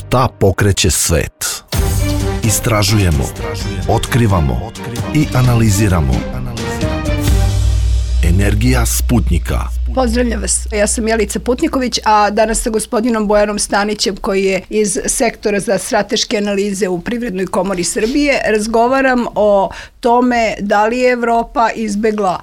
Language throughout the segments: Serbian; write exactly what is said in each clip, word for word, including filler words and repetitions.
Šta pokreće svet? Istražujemo, otkrivamo i analiziramo. Energija Sputnika. Pozdravljam vas, ja sam Jelica Putniković, a danas sa gospodinom Bojanom Stanićem, koji je iz sektora za strateške analize u Privrednoj komori Srbije, razgovaram o tome da li je Evropa izbegla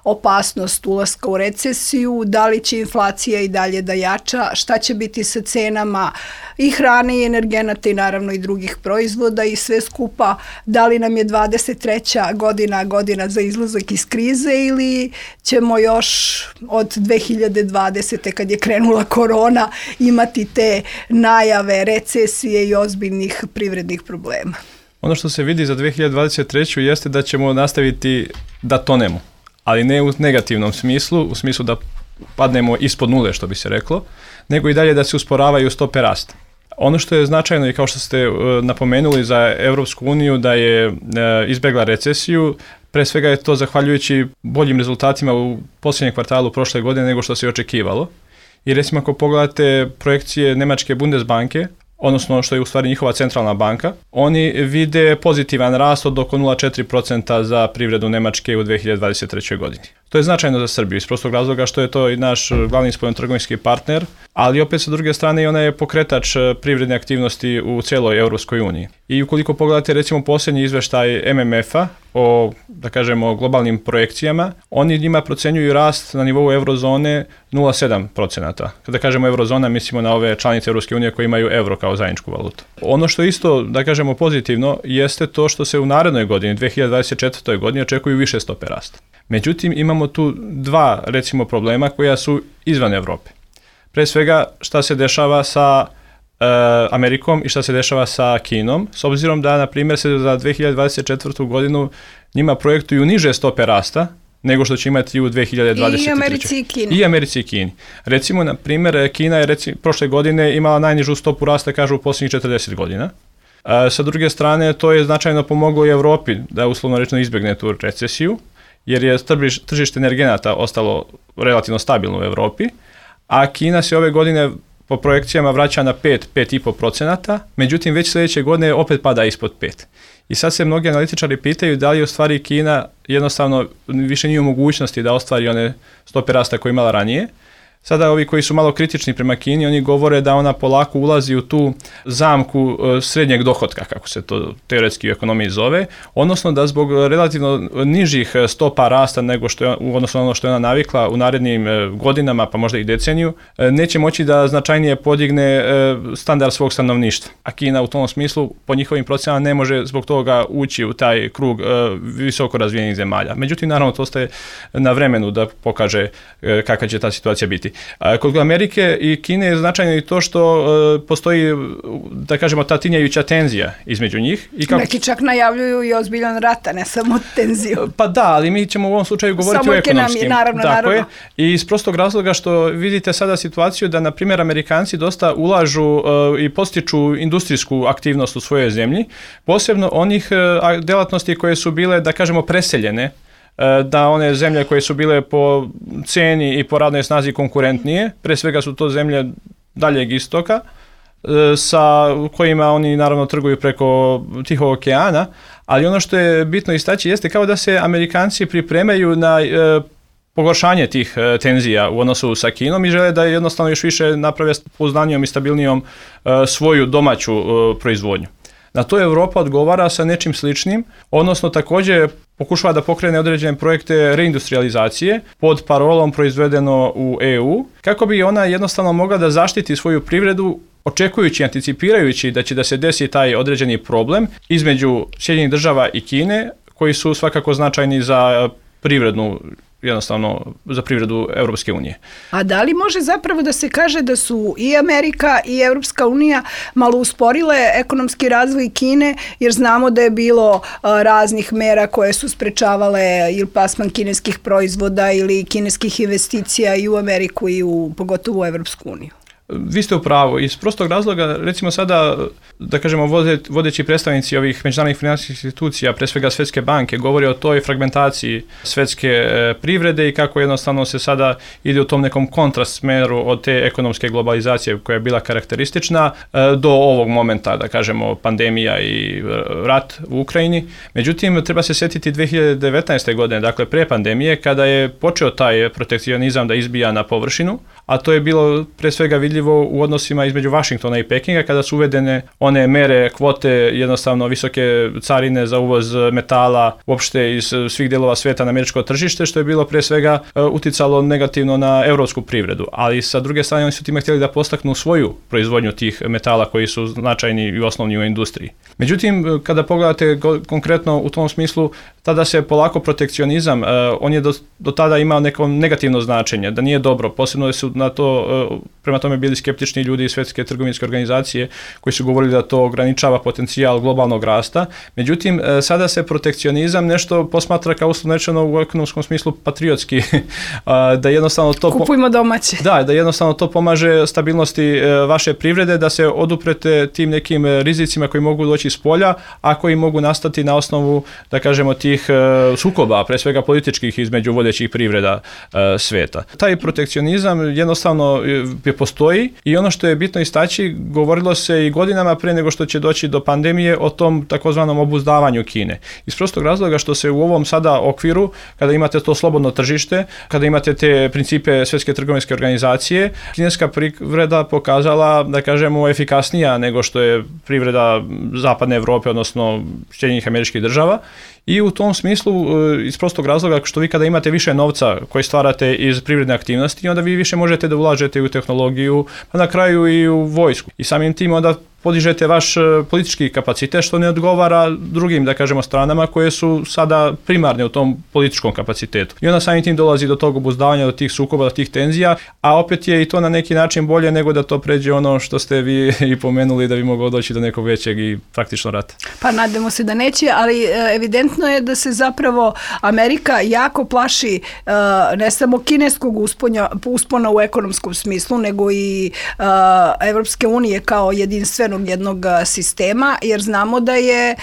opasnost ulaska u recesiju, da li će inflacija i dalje da jača, šta će biti sa cenama i hrane i energenata i naravno i drugih proizvoda i sve skupa, da li nam je dvadeset treća godina godina za izlazak iz krize ili ćemo još od dve hiljade dvadesete kad je krenula korona imati te najave recesije i ozbiljnih privrednih problema. Ono što se vidi za dve hiljade dvadeset treću jeste da ćemo nastaviti da tonemo, ali ne u negativnom smislu, u smislu da padnemo ispod nule, što bi se reklo, nego i dalje da se usporavaju stope rasta. Ono što je značajno i kao što ste napomenuli za Evropsku uniju da je izbegla recesiju, pre svega je to zahvaljujući boljim rezultatima u posljednjem kvartalu prošle godine nego što se očekivalo. I recimo ako pogledate projekcije Nemačke Bundesbanke, odnosno što je u stvari njihova centralna banka, oni vide pozitivan rast od oko nula zarez četiri posto za privredu Nemačke u dve hiljade dvadeset trećoj godini. To je značajno za Srbiju iz prostog razloga što je to i naš glavni spoljnotrgovinski partner, ali opet sa druge strane ona je pokretač privredne aktivnosti u cijeloj Europskoj uniji. I ukoliko pogledate recimo posljednji izveštaj M M F-a o, da kažemo, globalnim projekcijama, oni njima procenjuju rast na nivou eurozone nula zarez sedam posto. Kada kažemo eurozona, mislimo na ove članice Europske unije koje imaju euro kao zajedničku valutu. Ono što isto, da kažemo, pozitivno jeste to što se u narednoj godini, dve hiljade dvadeset četvrtoj godini, očekuju više stope rasta. Međutim, imamo tu dva, recimo, problema koja su izvan Evrope. Pre svega, šta se dešava sa e, Amerikom i šta se dešava sa Kinom, s obzirom da, na primjer, se za dve hiljade dvadeset četvrtu godinu njima projektuju niže stope rasta nego što će imati u dve hiljade dvadeset trećoj. I Americi i Kini. I Americi i Kini. Recimo, na primjer, Kina je recimo, prošle godine imala najnižu stopu rasta, kažu, u posljednjih četrdeset godina. E, sa druge strane, to je značajno pomoglo i Evropi da uslovno rečeno izbjegne tu recesiju, jer je tržište energenata ostalo relativno stabilno u Evropi, a Kina se ove godine po projekcijama vraća na pet do pet zarez pet posto, međutim već sljedeće godine opet pada ispod pet. I sad se mnogi analitičari pitaju da li u stvari Kina jednostavno više nije u mogućnosti da ostvari one stope rasta koje imala ranije. Sada ovi koji su malo kritični prema Kini, oni govore da ona polako ulazi u tu zamku srednjeg dohotka, kako se to teoretski u ekonomiji zove, odnosno da zbog relativno nižih stopa rasta nego što je, odnosno ono što je ona navikla u narednim godinama, pa možda i deceniju, neće moći da značajnije podigne standard svog stanovništva. A Kina u tom smislu, po njihovim procenama, ne može zbog toga ući u taj krug visoko razvijenih zemalja. Međutim, naravno, to ostaje na vremenu da pokaže kakva će ta situacija biti. Kod Amerike i Kine je značajno i to što uh, postoji, da kažemo, ta tinjajuća tenzija između njih. I kako... Neki čak najavljuju i ozbiljan rat, a ne samo tenziju. Pa da, ali mi ćemo u ovom slučaju govoriti samo o ekonomskim. Samo naravno, Tako naravno. Je. I iz prostog razloga što vidite sada situaciju da, na primjer, Amerikanci dosta ulažu uh, i postiču industrijsku aktivnost u svojoj zemlji, posebno onih uh, delatnosti koje su bile, da kažemo, preseljene, da one zemlje koje su bile po ceni i po radnoj snazi konkurentnije, pre svega su to zemlje daljeg istoka, sa kojima oni naravno trguju preko Tihog okeana, ali ono što je bitno istaći jeste kao da se Amerikanci pripremaju na e, pogoršanje tih e, tenzija u odnosu sa Kinom i žele da jednostavno još više naprave pouzdanijom i stabilnijom e, svoju domaću e, proizvodnju. Na to Evropa odgovara sa nečim sličnim, odnosno također pokušava da pokrene određene projekte reindustrializacije pod parolom proizvedeno u E U, kako bi ona jednostavno mogla da zaštiti svoju privredu, očekujući, anticipirajući da će da se desi taj određeni problem između Sjedinjenih Država i Kine, koji su svakako značajni za privrednu, jednostavno za privredu Europske unije. A da li može zapravo da se kaže da su i Amerika i Europska unija malo usporile ekonomski razvoj Kine, jer znamo da je bilo a, raznih mera koje su sprečavale ili plasman kineskih proizvoda ili kineskih investicija i u Ameriku i u pogotovo u Europsku uniju? Vi ste u pravu. Iz prostog razloga, recimo sada, da kažemo, vodeći predstavnici ovih međunarodnih financijskih institucija, pre svega Svjetske banke, govori o toj fragmentaciji svjetske privrede i kako jednostavno se sada ide u tom nekom kontrast smeru od te ekonomske globalizacije koja je bila karakteristična do ovog momenta, da kažemo, pandemija i rat u Ukrajini. Međutim, treba se sjetiti dvije hiljade devetnaeste. godine, dakle pre pandemije, kada je počeo taj protekcionizam da izbija na površinu, a to je bilo pre svega vidljivo u odnosima između Vašingtona i Pekinga, kada su uvedene one mere, kvote, jednostavno visoke carine za uvoz metala uopšte iz svih dijelova svijeta na američko tržište, što je bilo pre svega uticalo negativno na europsku privredu. Ali sa druge strane oni su time htjeli da postaknu svoju proizvodnju tih metala koji su značajni i osnovni u industriji. Međutim, kada pogledate konkretno u tom smislu, tada se polako protekcionizam, on je do, do tada imao neko negativno značenje, da nije dobro, posebno su na to, prema tome bili skeptični ljudi iz Svjetske trgovinske organizacije koji su govorili da to ograničava potencijal globalnog rasta. Međutim, sada se protekcionizam nešto posmatra kao uslovno rečeno u ekonomskom smislu patriotski, da jednostavno to kupujmo domaće. Da, da jednostavno to pomaže stabilnosti vaše privrede, da se oduprete tim nekim rizicima koji mogu doći iz polja, a koji mogu nastati na osnovu, da kažemo, tih sukoba, pre svega političkih između vodećih privreda svijeta. Taj protekcionizam jednostavno je postoji i ono što je bitno istaći, govorilo se i godinama pre nego što će doći do pandemije o tom takozvanom obuzdavanju Kine. Iz prostog razloga što se u ovom sada okviru, kada imate to slobodno tržište, kada imate te principe Svjetske trgovinske organizacije, kineska privreda pokazala, da kažemo, efikasnija nego što je privreda zapadne Europe, odnosno Sjedinjenih Američkih Država. I u tom smislu, iz prostog razloga što vi kada imate više novca koji stvarate iz privredne aktivnosti, onda vi više možete da ulažete u tehnologiju, pa na kraju i u vojsku. I samim tim onda podižete vaš politički kapacitet, što ne odgovara drugim, da kažemo, stranama koje su sada primarne u tom političkom kapacitetu. I onda samim tim dolazi do tog obuzdavanja, do tih sukoba, do tih tenzija, a opet je i to na neki način bolje nego da to pređe ono što ste vi i pomenuli, da bi moglo doći do nekog većeg i praktično rata. Pa nadamo se da neće, ali evidentno je da se zapravo Amerika jako plaši ne samo kineskog usponja, uspona u ekonomskom smislu, nego i Evropske unije kao jedinstvenog jednog sistema, jer znamo da je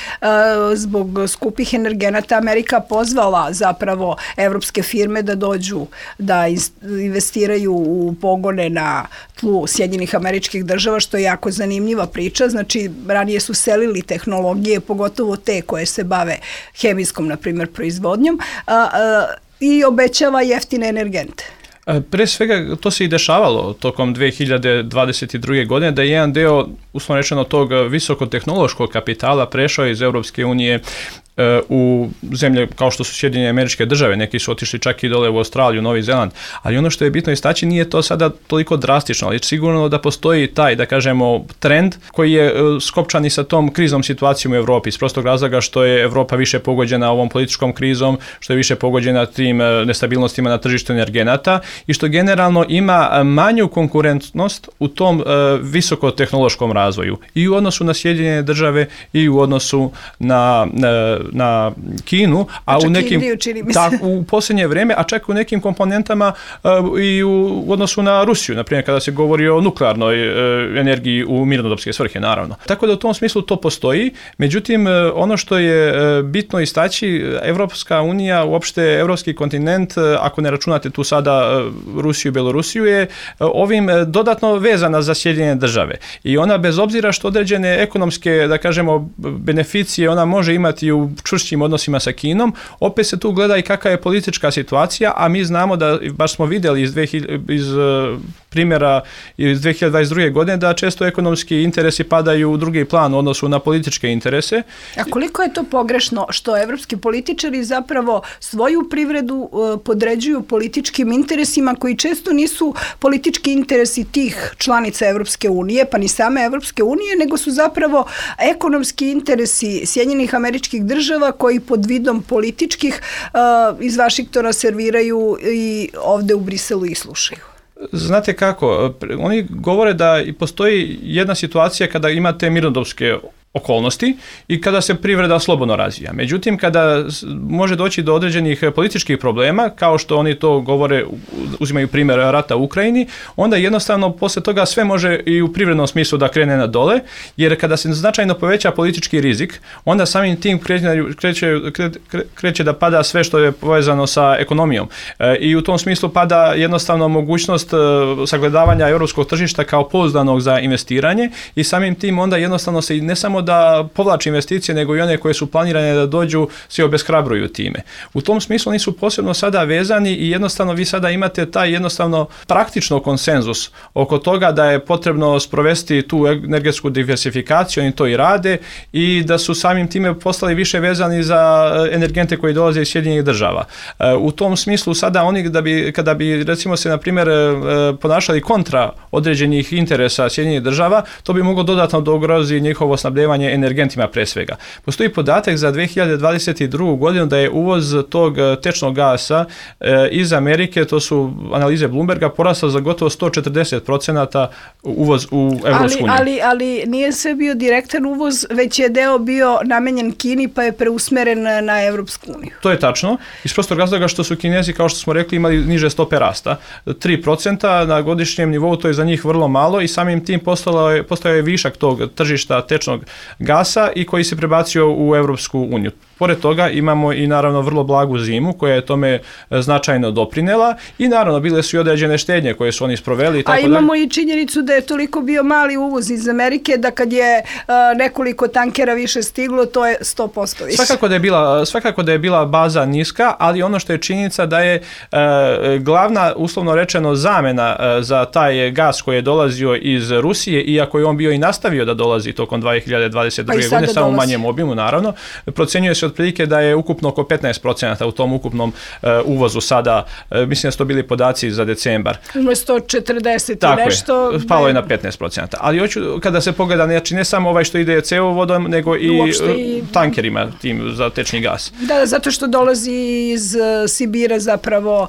zbog skupih energenata Amerika pozvala zapravo evropske firme da dođu da investiraju u pogone na tlu Sjedinjenih Američkih Država, što je jako zanimljiva priča. Znači, ranije su selili tehnologije, pogotovo te koje se bave hemijskom, na primjer, proizvodnjom, i obećava jeftine energente. Pre svega, to se i dešavalo tokom dvije hiljade dvadeset druge. godine, da je jedan deo, uslovno rečeno, tog visokotehnološkog kapitala prešao iz Europske unije u zemlje kao što su Sjedinjene Američke Države, neki su otišli čak i dole u Australiju, Novi Zeland, ali ono što je bitno istaći, nije to sada toliko drastično, ali sigurno da postoji taj, da kažemo, trend koji je skopčan i sa tom kriznom situacijom u Evropi, iz prostog razloga što je Evropa više pogođena ovom političkom krizom, što je više pogođena tim nestabilnostima na tržištu energenata i što generalno ima manju konkurentnost u tom uh, visokotehnološkom razvoju i u odnosu na Sjedinjene Države i u odnosu na uh, na Kinu, a u nekim tak, u posljednje vrijeme, a čak u nekim komponentama uh, i u, u odnosu na Rusiju, na primjer kada se govori o nuklearnoj uh, energiji u mirnodopske svrhe, naravno. Tako da u tom smislu to postoji, međutim uh, ono što je uh, bitno istaći, Evropska unija, uopšte evropski kontinent, uh, ako ne računate tu sada uh, Rusiju i Belorusiju, je uh, ovim uh, dodatno vezana za Sjedinjene Države. I ona, bez obzira što određene ekonomske, da kažemo, beneficije ona može imati u čvršćim odnosima sa Kinom, opet se tu gleda i kakva je politička situacija, a mi znamo da, baš smo vidjeli iz, iz primjera iz dvije hiljade dvadeset druge. godine, da često ekonomski interesi padaju u drugi plan u odnosu na političke interese. A koliko je to pogrešno što evropski političari zapravo svoju privredu podređuju političkim interesima koji često nisu politički interesi tih članica Evropske unije, pa ni same Evropske unije, nego su zapravo ekonomski interesi Sjedinjenih Američkih Država koji pod vidom političkih uh, iz Vašingtona serviraju i ovde u Briselu ih slušaju. Znate kako, oni govore da postoji jedna situacija kada imate mirnodopske okolnosti i kada se privreda slobodno razvija. Međutim, kada može doći do određenih političkih problema, kao što oni to govore, uzimaju primjer rata u Ukrajini, onda jednostavno poslije toga sve može i u privrednom smislu da krene na dole, jer kada se značajno poveća politički rizik, onda samim tim kreće, kreće, kreće da pada sve što je povezano sa ekonomijom. E, I u tom smislu pada jednostavno mogućnost e, sagledavanja europskog tržišta kao pouzdanog za investiranje i samim tim onda jednostavno se ne samo da povlači investicije, nego i one koje su planirane da dođu, se obeshrabruju time. U tom smislu oni su posebno sada vezani i jednostavno vi sada imate taj jednostavno praktično konsenzus oko toga da je potrebno sprovesti tu energetsku diversifikaciju, oni to i rade i da su samim time postali više vezani za energente koji dolaze iz Sjedinjenih država. U tom smislu sada oni da bi, kada bi recimo se na primjer ponašali kontra određenih interesa Sjedinjenih država, to bi moglo dodatno da ugrozi njihovo snabdevanje energentima pre svega. Postoji podatak za dve hiljade dvadeset drugu godinu da je uvoz tog tečnog gasa e, iz Amerike, to su analize Bloomberga, porastao za gotovo sto četrdeset procenata uvoz u Evropsku uniju. Ali, ali, ali nije sve bio direktan uvoz, već je deo bio namenjen Kini pa je preusmeren na Evropsku uniju. To je tačno. Iz prostog razloga što su Kinezi, kao što smo rekli, imali niže stope rasta. tri procenta na godišnjem nivou, to je za njih vrlo malo i samim tim postao je, postao je višak tog tržišta tečnog gasa i koji se prebacio u Evropsku uniju. Pored toga imamo i naravno vrlo blagu zimu koja je tome značajno doprinela i naravno bile su i određene štednje koje su oni sproveli. I tako A imamo dalje. I činjenicu da je toliko bio mali uvoz iz Amerike da kad je uh, nekoliko tankera više stiglo, to je sto posto više. Svakako da je bila, svakako da je bila baza niska, ali ono što je činjenica da je uh, glavna, uslovno rečeno, zamena uh, za taj gas koji je dolazio iz Rusije, iako je on bio i nastavio da dolazi tokom dve hiljade dvadeset druge. Pa godine, samo u manjem obimu naravno, procjenjuje se otprilike da je ukupno oko petnaest procenata u tom ukupnom uh, uvozu sada, uh, mislim da su to bili podaci za decembar. sto četrdeset Tako i nešto. Je, palo je na petnaest procenata. Ali hoću, kada se pogleda, znači ne samo ovaj što ide cevovodom, nego i, i tankerima tim za tečni gas. Da, zato što dolazi iz Sibira zapravo,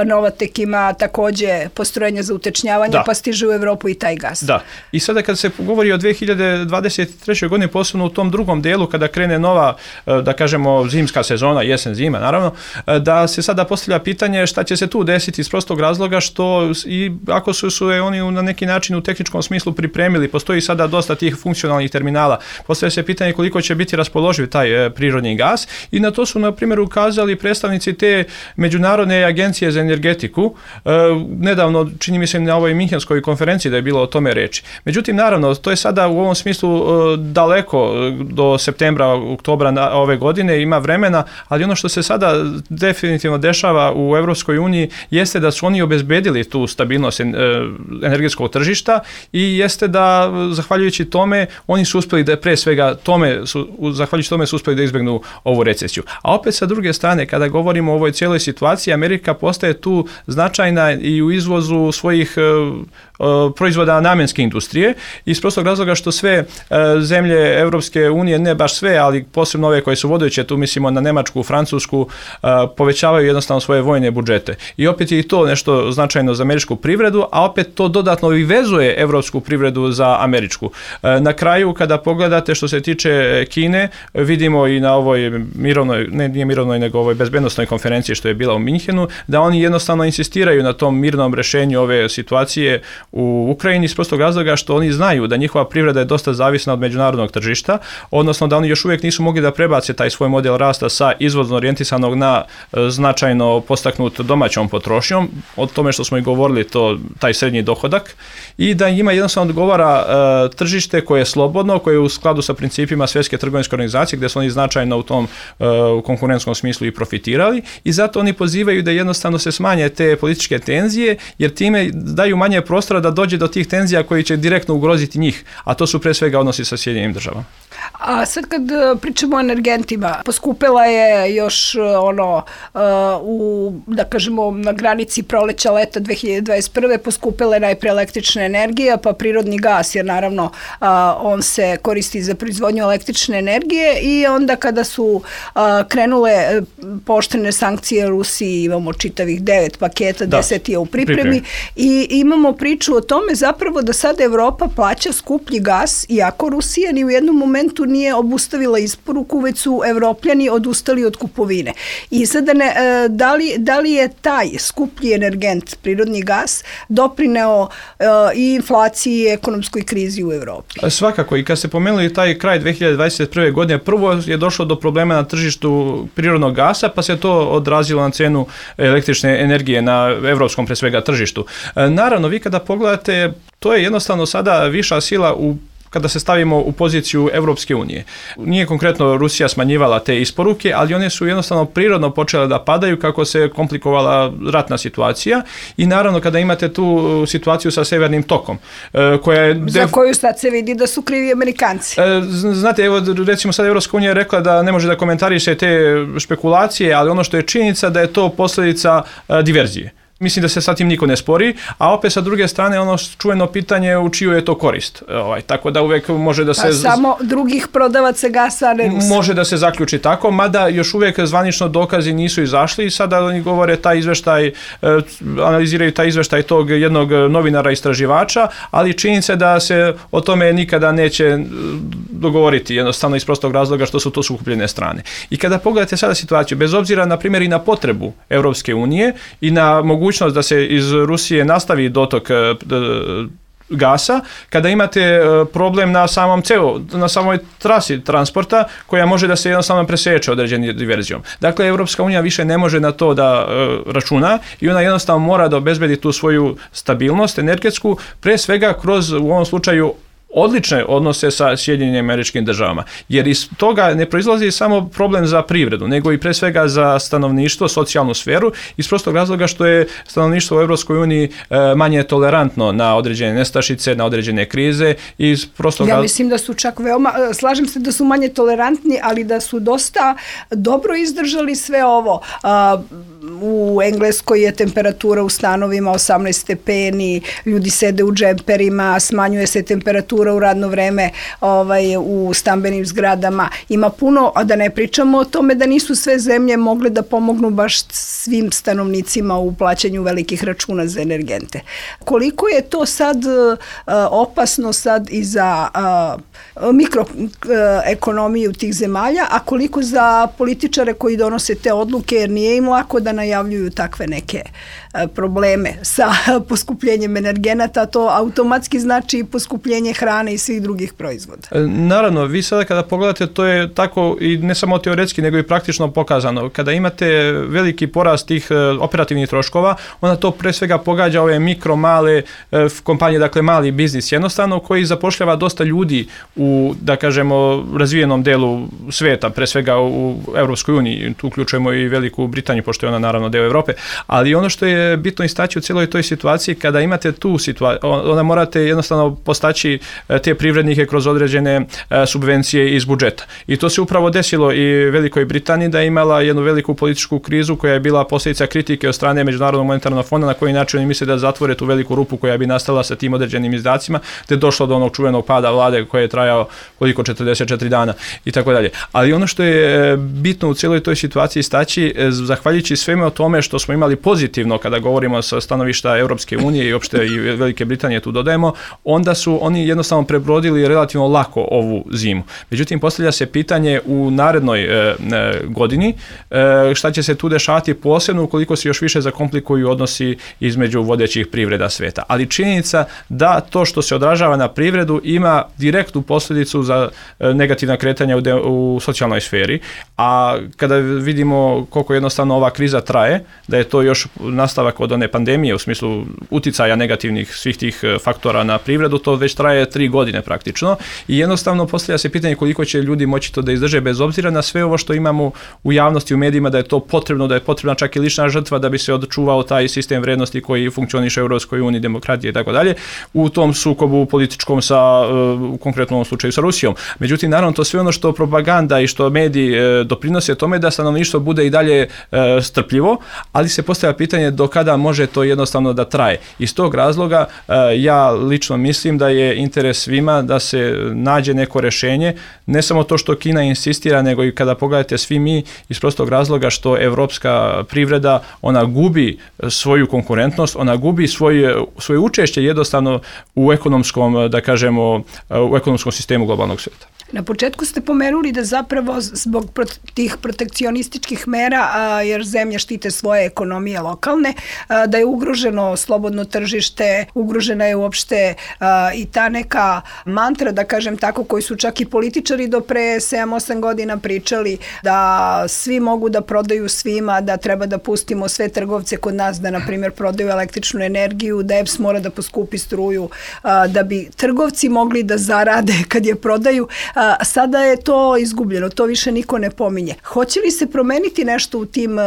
Novatek ima takođe postrojenje za utečnjavanje, da. Pa stiže u Evropu i taj gas. Da. I sada kad se govori o dve hiljade dvadeset trećoj. godini, posebno u tom drugom delu, kada krene nova, da kažemo, zimska sezona, jesen, zima, naravno, da se sada postavlja pitanje šta će se tu desiti iz prostog razloga što i ako su, su je oni na neki način u tehničkom smislu pripremili, postoji sada dosta tih funkcionalnih terminala, postavlja se pitanje koliko će biti raspoloživ taj e, prirodni gas i na to su, na primjer, ukazali predstavnici te Međunarodne agencije za energetiku, e, nedavno, čini mi se na ovoj Minhenskoj konferenciji da je bilo o tome reči. Međutim, naravno, to je sada u ovom smislu e, daleko do septembra, oktobra na, ove godine, ima vremena, ali ono što se sada definitivno dešava u Evropskoj uniji jeste da su oni obezbedili tu stabilnost energetskog tržišta i jeste da, zahvaljujući tome, oni su uspjeli da pre svega tome, su, zahvaljujući tome su uspjeli da izbjegnu ovu recesiju. A opet sa druge strane, kada govorimo o ovoj cijeloj situaciji, Amerika postaje tu značajna i u izvozu svojih uh, proizvoda namenske industrije iz prostog razloga što sve uh, zemlje Evropske unije, ne baš sve, ali posebno ove koje su vodeće, tu mislimo na Nemačku, Francusku, uh, povećavaju jednostavno svoje vojne budžete. I opet je i to nešto značajno za američku privredu, a opet to dodatno i vezuje evropsku privredu za američku. Uh, na kraju, kada pogledate što se tiče Kine, vidimo i na ovoj mirovnoj, ne nije mirovnoj, nego ovoj bezbednosnoj konferenciji što je bila u Minhenu, da oni jednostavno insistiraju na tom mirnom rešenju ove situacije u Ukrajini iz prostog razloga što oni znaju da njihova privreda je dosta zavisna od međunarodnog tržišta, odnosno da oni još uvijek nisu mogli da prebace taj svoj model rasta sa izvozno orijentisanog na značajno postaknut domaćom potrošnjom, o tome što smo i govorili, to taj srednji dohodak, i da ima jednostavno odgovara uh, tržište koje je slobodno, koje je u skladu sa principima Svjetske trgovinske organizacije, gdje su oni značajno u tom uh, konkurentskom smislu i profitirali, i zato oni pozivaju da jednostavno se smanje te političke tenzije, jer time daju manje prostora da dođe do tih tenzija koji će direktno ugroziti njih, a to su pre svega odnosi sa Sjedinjenim državama. A sad kad pričamo o energentima, poskupela je još ono u, da kažemo, na granici proleća leta dve hiljade dvadeset prve poskupela je najpre električna energija, pa prirodni gas, jer naravno on se koristi za proizvodnju električne energije, i onda kada su krenule pooštrene sankcije Rusiji, imamo čitavih devet paketa, deset je u pripremi, i imamo priču priču o tome zapravo da sad Evropa plaća skuplji gas, iako Rusija ni u jednom momentu nije obustavila isporuku, već su Evropljani odustali od kupovine. I sada ne, da, li, da li je taj skuplji energent, prirodni gas, doprineo i inflaciji i ekonomskoj krizi u Evropi? Svakako, i kad se pomenuli taj kraj dve hiljade dvadeset prve. godine, prvo je došlo do problema na tržištu prirodnog gasa, pa se to odrazilo na cenu električne energije na evropskom pre svega tržištu. Naravno, vi kada pogledate, to je jednostavno sada viša sila u kada se stavimo u poziciju Evropske unije. Nije konkretno Rusija smanjivala te isporuke, ali one su jednostavno prirodno počele da padaju kako se komplikovala ratna situacija i naravno kada imate tu situaciju sa Severnim tokom. Koja je Za def... koju sad se vidi da su krivi Amerikanci. Znate, evo recimo sad Evropska unija je rekla da ne može da komentariše te špekulacije, ali ono što je činjenica da je to posljedica diverzije. Mislim da se sa tim niko ne spori, a opet sa druge strane ono čuveno pitanje u čiju je to korist. Ovaj, tako da uvek može da se... Pa samo drugih prodavaca gasa, ne Rusa. Može da se zaključi tako, mada još uvijek zvanično dokazi nisu izašli i sada oni govore taj izveštaj, analiziraju taj izveštaj tog jednog novinara istraživača, ali činjenica da se o tome nikada neće dogovoriti, jednostavno iz prostog razloga što su to sukupljene strane. I kada pogledate sada situaciju, bez obzira na primjer i na potrebu Evropske unije i na mogućnost da se iz Rusije nastavi dotok gasa, kada imate problem na samom ceo, na samoj trasi transporta koja može da se jednostavno preseče određenim diverzijom. Dakle, Evropska unija više ne može na to da e, računa i ona jednostavno mora da obezbedi tu svoju stabilnost energetsku, pre svega kroz, u ovom slučaju, odlične odnose sa Sjedinjenim Američkim Državama. Jer iz toga ne proizlazi samo problem za privredu, nego i pre svega za stanovništvo, socijalnu sferu, iz prostog razloga što je stanovništvo u Evropskoj uniji manje tolerantno na određene nestašice, na određene krize. Iz prostog ja mislim da su čak veoma, slažem se da su manje tolerantni, ali da su dosta dobro izdržali sve ovo. U Engleskoj je temperatura u stanovima osamnaest stepeni, ljudi sede u džemperima, smanjuje se temperatura u radno vreme ovaj, u stambenim zgradama. Ima puno, a da ne pričamo o tome da nisu sve zemlje mogle da pomognu baš svim stanovnicima u plaćanju velikih računa za energente. Koliko je to sad uh, opasno sad i za uh, mikroekonomiju tih zemalja, a koliko za političare koji donose te odluke, jer nije im lako da najavljuju takve neke uh, probleme sa poskupljenjem energenata, to automatski znači poskupljenje hrane i svih drugih proizvoda. Naravno, vi sada kada pogledate, to je tako i ne samo teoretski, nego i praktično pokazano. Kada imate veliki porast tih operativnih troškova, onda to pre svega pogađa ove mikro, male kompanije, dakle mali biznis jednostavno, koji zapošljava dosta ljudi u, da kažemo, razvijenom delu sveta, pre svega u Evropskoj uniji. Tu uključujemo i Veliku Britaniju, pošto je ona naravno deo Evrope. Ali ono što je bitno istaći u cijeloj toj situaciji, kada imate tu situaciju, onda morate jednostavno postaći te privrednike kroz određene subvencije iz budžeta. I to se upravo desilo i Velikoj Britaniji, da je imala jednu veliku političku krizu koja je bila posljedica kritike od strane Međunarodnog monetarnog fonda, na koji način oni misle da zatvore tu veliku rupu koja bi nastala sa tim određenim izdacima, te došlo do onog čuvenog pada vlade koje je trajao koliko četrdeset četiri dana i tako dalje. Ali ono što je bitno u cijeloj toj situaciji staći, zahvaljujući sveme o tome što smo imali pozitivno kada govorimo sa stanovišta Europske unije i uopšte i Velike Britanije tu dodajemo, onda su oni jednostavno prebrodili relativno lako ovu zimu. Međutim, postavlja se pitanje u narednoj e, godini e, šta će se tu dešavati, posebno ukoliko se još više zakomplikuju odnosi između vodećih privreda sveta. Ali činjenica da to što se odražava na privredu ima direktnu posljedicu za e, negativna kretanja u, de, u socijalnoj sferi, a kada vidimo koliko jednostavno ova kriza traje, da je to još nastavak od one pandemije u smislu uticaja negativnih svih tih faktora na privredu, to već traje tri godine praktično i jednostavno postavlja se pitanje koliko će ljudi moći to da izdrže bez obzira na sve ovo što imamo u javnosti, u medijima, da je to potrebno, da je potrebna čak i lična žrtva da bi se odčuvao taj sistem vrednosti koji funkcioniše u Europskoj uniji, demokratije i tako dalje, u tom sukobu političkom sa, u konkretnom slučaju sa Rusijom. Međutim, naravno, to sve ono što propaganda i što mediji doprinose tome da stanovništvo bude i dalje strpljivo, ali se postavlja pitanje do kada može to jednostavno da traje. Iz tog razloga ja lično mislim da je interes interes svima da se nađe neko rješenje, ne samo to što Kina insistira, nego i kada pogledate svi mi iz prostog razloga što evropska privreda, ona gubi svoju konkurentnost, ona gubi svoje, svoje učešće jednostavno u ekonomskom, da kažemo, u ekonomskom sistemu globalnog svijeta. Na početku ste pomenuli da zapravo zbog tih protekcionističkih mera, a, jer zemlje štite svoje ekonomije lokalne, a, da je ugroženo slobodno tržište, ugrožena je uopšte a, i ta neka mantra, da kažem tako, koji su čak i političari do pre sedam osam godina pričali, da svi mogu da prodaju svima, da treba da pustimo sve trgovce kod nas da, na primjer, prodaju električnu energiju, da E P S mora da poskupi struju, a, da bi trgovci mogli da zarade kad je prodaju. A sada je to izgubljeno, to više niko ne pominje. Hoće li se promeniti nešto u tim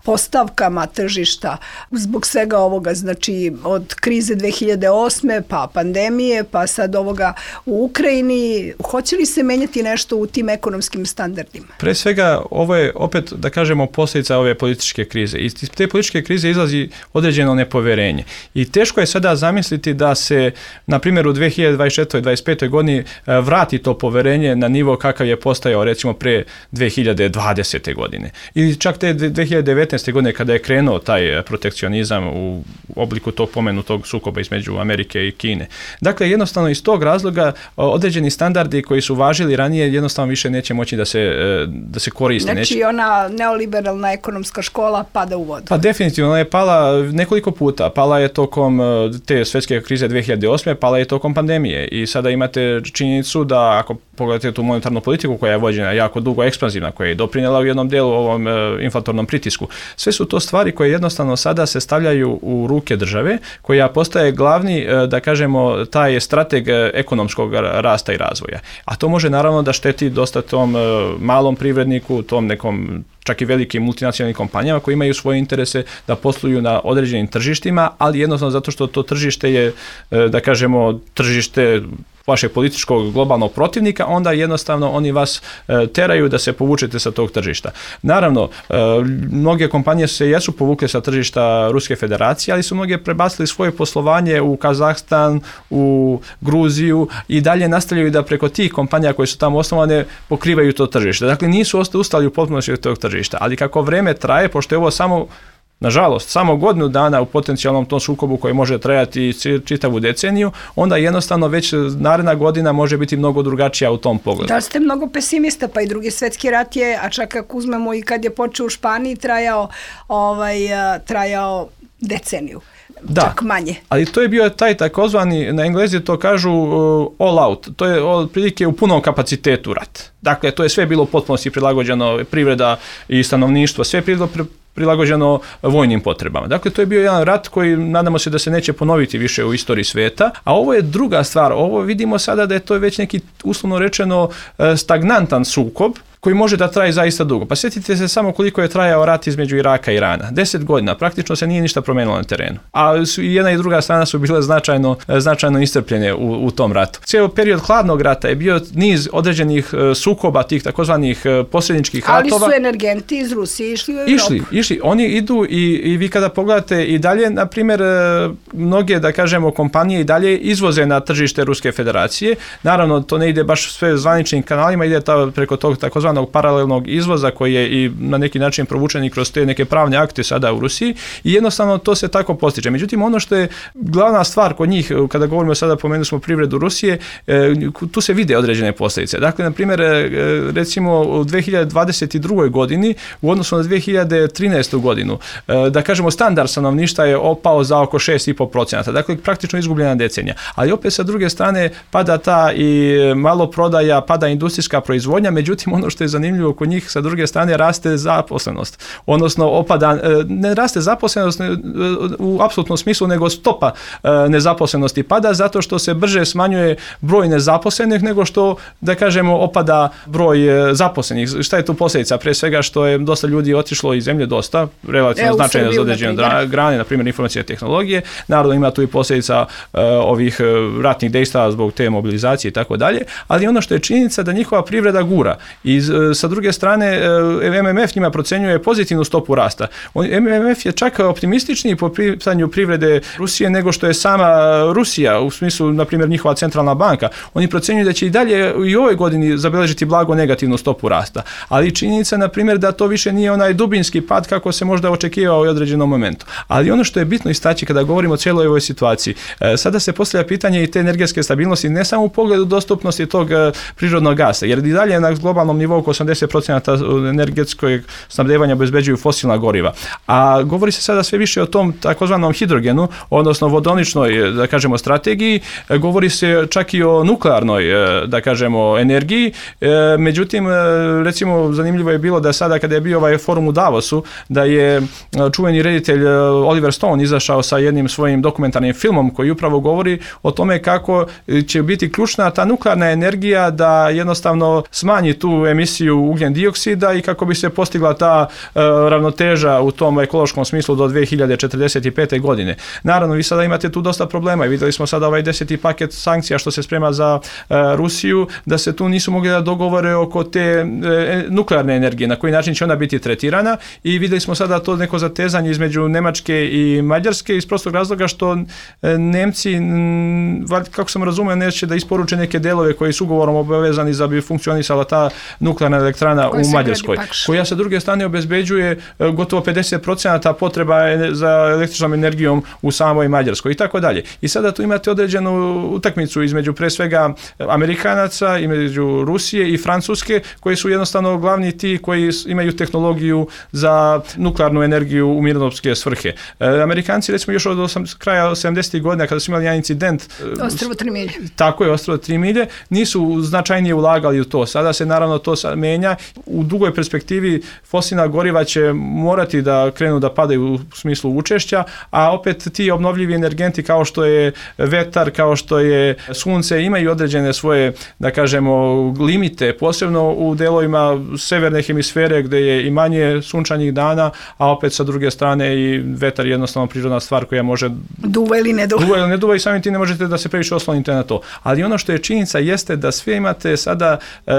postavkama tržišta zbog svega ovoga, znači od krize dve hiljade osme pa pandemije, pa sad ovoga u Ukrajini, hoće li se menjati nešto u tim ekonomskim standardima? Pre svega, ovo je opet, da kažemo, posljedica ove političke krize. Iz te političke krize izlazi određeno nepoverenje. I teško je sada zamisliti da se, na primjer, u dve hiljade dvadeset četvrtoj dvadeset petoj godini vrati to poverenje na nivo kakav je postajao recimo pre dve hiljade dvadesete godine. Ili čak te dve hiljade devetnaeste godine kada je krenuo taj protekcionizam u obliku tog pomenutog sukoba između Amerike i Kine. Dakle, jednostavno iz tog razloga određeni standardi koji su važili ranije jednostavno više neće moći da se, da se koriste. Znači neće... ona neoliberalna ekonomska škola pada u vodu. Pa definitivno, ona je pala nekoliko puta. Pala je tokom te svjetske krize dve hiljade osme, pala je tokom pandemije i sada imate činjenicu da ako pogledate tu monetarnu politiku koja je vođena jako dugo ekspanzivna, koja je doprinijela u jednom dijelu ovom e, inflatornom pritisku. Sve su to stvari koje jednostavno sada se stavljaju u ruke države, koja postaje glavni, e, da kažemo, taj strateg ekonomskog rasta i razvoja. A to može naravno da šteti dosta tom e, malom privredniku, tom nekom čak i velikim multinacionalnim kompanijama koji imaju svoje interese da posluju na određenim tržištima, ali jednostavno zato što to tržište je, e, da kažemo, tržište vašeg političkog globalnog protivnika, onda jednostavno oni vas e, teraju da se povučete sa tog tržišta. Naravno, e, mnoge kompanije se jesu povukle sa tržišta Ruske federacije, ali su mnoge prebacili svoje poslovanje u Kazahstan, u Gruziju i dalje nastavljaju da preko tih kompanija koje su tamo osnovane pokrivaju to tržište. Dakle, nisu ustali u potpunosti od tog tržišta, ali kako vreme traje, pošto je ovo samo nažalost, samo godinu dana u potencijalnom tom sukobu koji može trajati čitavu deceniju, onda jednostavno već naredna godina može biti mnogo drugačija u tom pogledu. Da ste mnogo pesimista, pa i drugi svjetski rat je, a čak ako uzmemo i kad je počeo u Španiji, trajao, ovaj, trajao deceniju. Da, čak manje. Ali to je bio taj takozvani, na Englezi to kažu uh, all out, to je otprilike u punom kapacitetu rat. Dakle, to je sve bilo u potpunosti prilagođeno, privreda i stanovništvo, sve je bilo pri, prilagođeno vojnim potrebama. Dakle, to je bio jedan rat koji nadamo se da se neće ponoviti više u istoriji svijeta, a ovo je druga stvar, ovo vidimo sada da je to već neki uslovno rečeno stagnantan sukob, koji može da traje zaista dugo. Pa sjetite se samo koliko je trajao rat između Iraka i Irana. Deset godina, praktično se nije ništa promenilo na terenu. A su, jedna i druga strana su bile značajno, značajno iscrpljene u, u tom ratu. Cijeli period hladnog rata je bio niz određenih sukoba, tih takozvanih posredničkih ratova. Ali su energenti iz Rusije išli u Europu. Išli, išli. Oni idu i, i vi kada pogledate i dalje, na primjer, mnoge, da kažemo, kompanije i dalje izvoze na tržište Ruske federacije. Naravno, to ne ide baš sve zvaničnim kanalima, ide ta, preko tog takozvanog paralelnog izvoza koji je i na neki način provučen i kroz te neke pravne akte sada u Rusiji i jednostavno to se tako postiže. Međutim, ono što je glavna stvar kod njih, kada govorimo sada, pomenuli smo privredu Rusije, tu se vide određene posljedice. Dakle, na primjer, recimo u dve hiljade dvadeset drugoj godini u odnosu na dve hiljade trinaestu godinu, da kažemo, standard stanovništva je opao za oko šest zarez pet posto. Dakle, praktično izgubljena decenija. Ali opet sa druge strane pada ta i malo prodaja, pada industrijska proizvodnja, međutim, ono što je zanimljivo kod njih, sa druge strane raste zaposlenost, odnosno opada, ne raste zaposlenost u apsolutnom smislu, nego stopa nezaposlenosti pada zato što se brže smanjuje broj nezaposlenih nego što, da kažemo, opada broj zaposlenih. Šta je tu posljedica? Pre svega što je dosta ljudi otišlo iz zemlje, dosta, relativno e, značajno za određene grane, na primjer informacije i tehnologije. Naravno ima tu i posljedica uh, ovih uh, ratnih dejstava zbog te mobilizacije i tako dalje, ali ono što je činjenica da njihova privreda gura i sa druge strane M M F njima procjenjuje pozitivnu stopu rasta. M M F je čak optimističniji po pitanju privrede Rusije nego što je sama Rusija, u smislu, na primjer, njihova centralna banka. Oni procjenjuju da će i dalje i u ovoj godini zabeležiti blago negativnu stopu rasta. Ali činjenica, na primjer, da to više nije onaj dubinski pad kako se možda očekivao u određenom momentu. Ali ono što je bitno istaći kada govorimo o cijeloj ovoj situaciji, sada se postavlja pitanje i te energetske stabilnosti, ne samo u pogledu dostupnosti tog prirodnog gasa, jer i dalje na globalnom nivou oko osamdeset posto energetskog snabdevanja obezbeđuju fosilna goriva. A govori se sada sve više o tom takozvanom hidrogenu, odnosno vodoničnoj, da kažemo, strategiji, govori se čak i o nuklearnoj, da kažemo, energiji. Međutim, recimo, zanimljivo je bilo da sada kada je bio ovaj forum u Davosu, da je čuveni reditelj Oliver Stone izašao sa jednim svojim dokumentarnim filmom koji upravo govori o tome kako će biti ključna ta nuklearna energija da jednostavno smanji tu emisiju ugljen dioksida i kako bi se postigla ta uh, ravnoteža u tom ekološkom smislu do dvije hiljade četrdeset pete. godine. Naravno, vi sada imate tu dosta problema i vidjeli smo sada ovaj deseti paket sankcija što se sprema za uh, Rusiju, da se tu nisu mogli da dogovore oko te uh, nuklearne energije, na koji način će ona biti tretirana, i vidjeli smo sada to neko zatezanje između Nemačke i Mađarske iz prostog razloga što uh, Nemci, m, kako sam razumio, neće da isporuče neke delove koji su ugovorom obavezani za bi funkcionisala ta nuklearna elektrana u Mađarskoj, koja sa druge strane obezbeđuje gotovo pedeset posto potreba za električnom energijom u samoj Mađarskoj i tako dalje. I sada tu imate određenu utakmicu između pre svega Amerikanaca, između Rusije i Francuske, koji su jednostavno glavni ti koji imaju tehnologiju za nuklearnu energiju u mirnodopske svrhe. Amerikanci, recimo, još od osam, kraja sedamdesetih godina, kada su imali jedan incident, Ostrvo tri milje. Tako je, Ostrvo tri milje, nisu značajnije ulagali u to. Sada se naravno to menja. U dugoj perspektivi fosilna goriva će morati da krenu da padaju u smislu učešća, a opet ti obnovljivi energenti kao što je vetar, kao što je sunce, imaju određene svoje, da kažemo, limite, posebno u delovima severne hemisfere gdje je i manje sunčanih dana, a opet sa druge strane i vetar je jednostavno prirodna stvar koja može duva ili ne duva. Duva ili ne duva i samim ti ne možete da se previše oslonite na to. Ali ono što je činjenica jeste da sve imate sada e, e,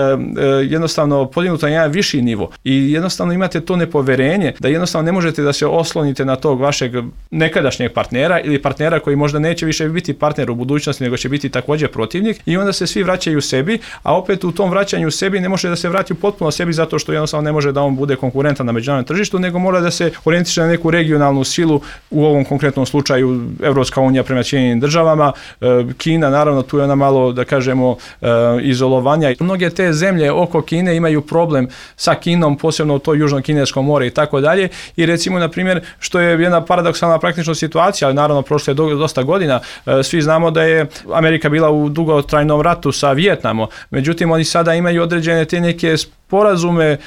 jednostavno podignuto na jedan viši nivo i jednostavno imate to nepoverenje da jednostavno ne možete da se oslonite na tog vašeg nekadašnjeg partnera ili partnera koji možda neće više biti partner u budućnosti, nego će biti također protivnik, i onda se svi vraćaju sebi, a opet u tom vraćanju sebi ne može da se vrati potpuno sebi zato što jednostavno ne može da on bude konkurentan na međunarodnom tržištu, nego mora da se orijentiše na neku regionalnu silu, u ovom konkretnom slučaju Evropska unija prema Sjedinjenim državama, Kina, naravno tu je ona malo, da kažemo, izolovanja. Mnoge te zemlje oko Kine imaju problem sa Kinom, posebno u to južno-kinesko more i tako dalje, i recimo, na primjer, što je jedna paradoksalna praktična situacija, ali naravno prošle dosta godina, svi znamo da je Amerika bila u dugotrajnom ratu sa Vijetnamom, međutim oni sada imaju određene te neke sporazume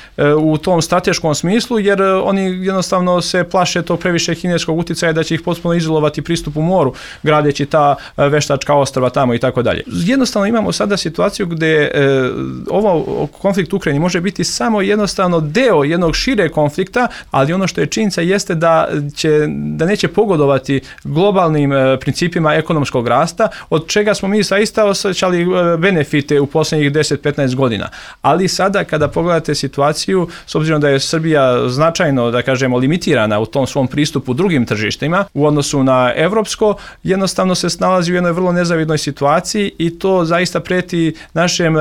u tom strateškom smislu, jer oni jednostavno se plaše tog previše kineskog utjecaja da će ih potpuno izolovati pristup u moru, gradeći ta veštačka ostrva tamo i tako dalje. Jednostavno imamo sada situaciju gdje ovo konflikt u Ukrajini može biti samo jednostavno deo jednog šire konflikta, ali ono što je činjenica jeste da će, da neće pogodovati globalnim principima ekonomskog rasta, od čega smo mi zaista osjećali benefite u posljednjih deset do petnaest godina. Ali sada kada pogledate situaciju, s obzirom da je Srbija značajno, da kažemo, limitirana u tom svom pristupu drugim tržištima u odnosu na evropsko, jednostavno se nalazi u jednoj vrlo nezavidnoj situaciji i to zaista preti našem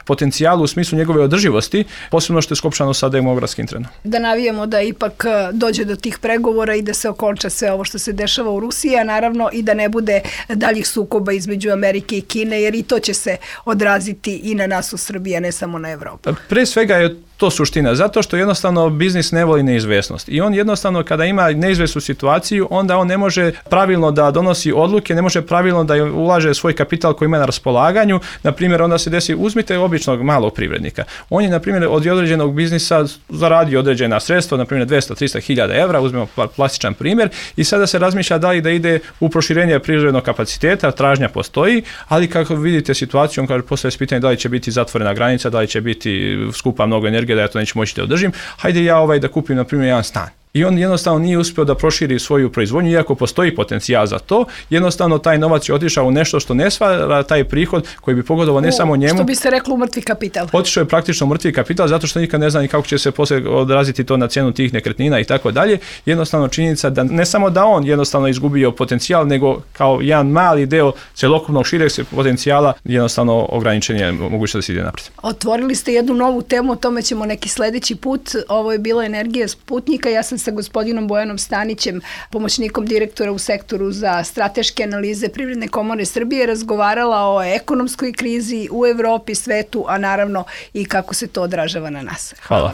potencijalu u smislu njegove održivosti, posebno što je skopčano sa demografskim trendom. Da navijemo da ipak dođe do tih pregovora i da se okonča sve ovo što se dešava u Rusiji, a naravno i da ne bude daljih sukoba između Amerike i Kine, jer i to će se odraziti i na nas u Srbiji, a ne samo na Evropu. Pre svega je to suština, zato što jednostavno biznis ne voli neizvesnost i on jednostavno kada ima neizvesnu situaciju, onda on ne može pravilno da donosi odluke, ne može pravilno da ulaže svoj kapital koji ima na raspolaganju. Na primjer, onda se desi, uzmite običnog malog privrednika. On je, na primjer, od određenog biznisa zaradio određena sredstva, na primjer dvesta do trista hiljada evra, uzmemo plastičan primjer, i sada se razmišlja da li da ide u proširenje privrednog kapaciteta, tražnja postoji, ali kako vidite situaciju, on kaže, postavlja se pitanje da li će biti zatvorena granica, da li će biti skupa mnogo energije, da ja to neću moći da održim, hajde ja ovaj da kupim, na primjer, jedan stan. i on jednostavno nije uspio da proširi svoju proizvodnju, iako postoji potencijal za to, jednostavno taj novac je otišao u nešto što ne stvara taj prihod koji bi pogodovao ne u, samo njemu. Što bi se reklo u mrtvi kapital. Otišao je praktično u mrtvi kapital zato što nikad ne zna ni kako će se poslije odraziti to na cijenu tih nekretnina i tako dalje. Jednostavno činjenica da ne samo da on jednostavno izgubio potencijal, nego kao jedan mali deo celokupnog šireg potencijala jednostavno ograničen je moguće da se ide naprijed. Otvorili ste jednu novu temu, o tome ćemo neki sljedeći put. Ovo je bila Energija Sputnika. Ja sam sa gospodinom Bojanom Stanićem, pomoćnikom direktora u sektoru za strateške analize Privredne komore Srbije, razgovarala o ekonomskoj krizi u Evropi, svetu, a naravno i kako se to odražava na nas. Hvala.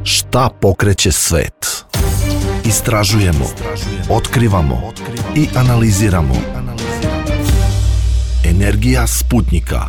Šta pokreće svet? Istražujemo, otkrivamo i analiziramo. Energija Sputnika.